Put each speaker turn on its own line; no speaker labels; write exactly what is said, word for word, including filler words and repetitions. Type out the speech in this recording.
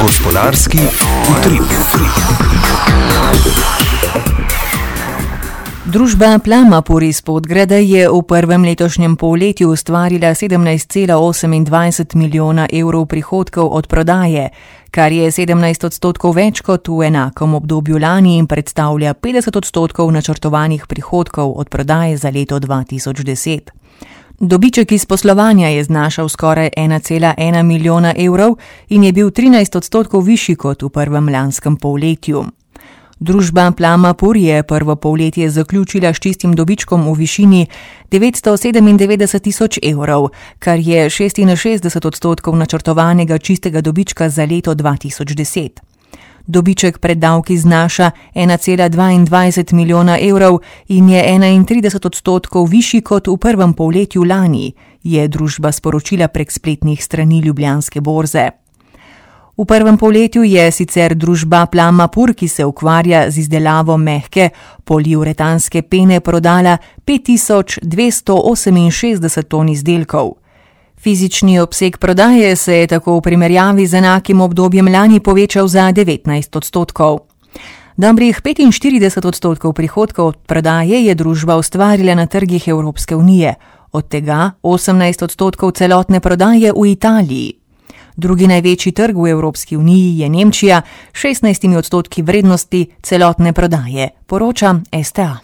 Gospodarski utrip.
Družba Plamapur iz Podgrada je v prvem letošnjem polletju ustvarila sedemnajst cela osemindvajset milijona evrov prihodkov od prodaje, kar je sedemnajst odstotkov več kot v enakem obdobju lani in predstavlja petdeset odstotkov načrtovanih prihodkov od prodaje za leto dva tisoč deset. Dobiček iz poslovanja je znašal skoraj ena cela ena milijona evrov in je bil trinajst odstotkov višji kot v prvem lanskem polletju. Družba Plamapur je prvo polletje zaključila s čistim dobičkom v višini devetsto sedemindevetdeset tisoč evrov, kar je šestinšestdeset odstotkov načrtovanega čistega dobička za leto dva tisoč deset. Dobiček pred davki znaša ena cela dvaindvajset milijona evrov in je enaintrideset odstotkov višji kot v prvem polletju lani, je družba sporočila prek spletnih strani Ljubljanske borze. V prvem polletju je sicer družba Plamapur, ki se ukvarja z izdelavo mehke poliuretanske pene, prodala pet tisoč dvesto oseminšestdeset ton izdelkov. Fizični obseg prodaje se je tako v primerjavi z enakim obdobjem lani povečal za devetnajst odstotkov. Dobrih petinštirideset odstotkov prihodkov od prodaje je družba ustvarila na trgih Evropske unije, od tega osemnajst odstotkov celotne prodaje v Italiji. Drugi največji trg v Evropski uniji je Nemčija, šestnajst odstotki vrednosti celotne prodaje, poroča S T A.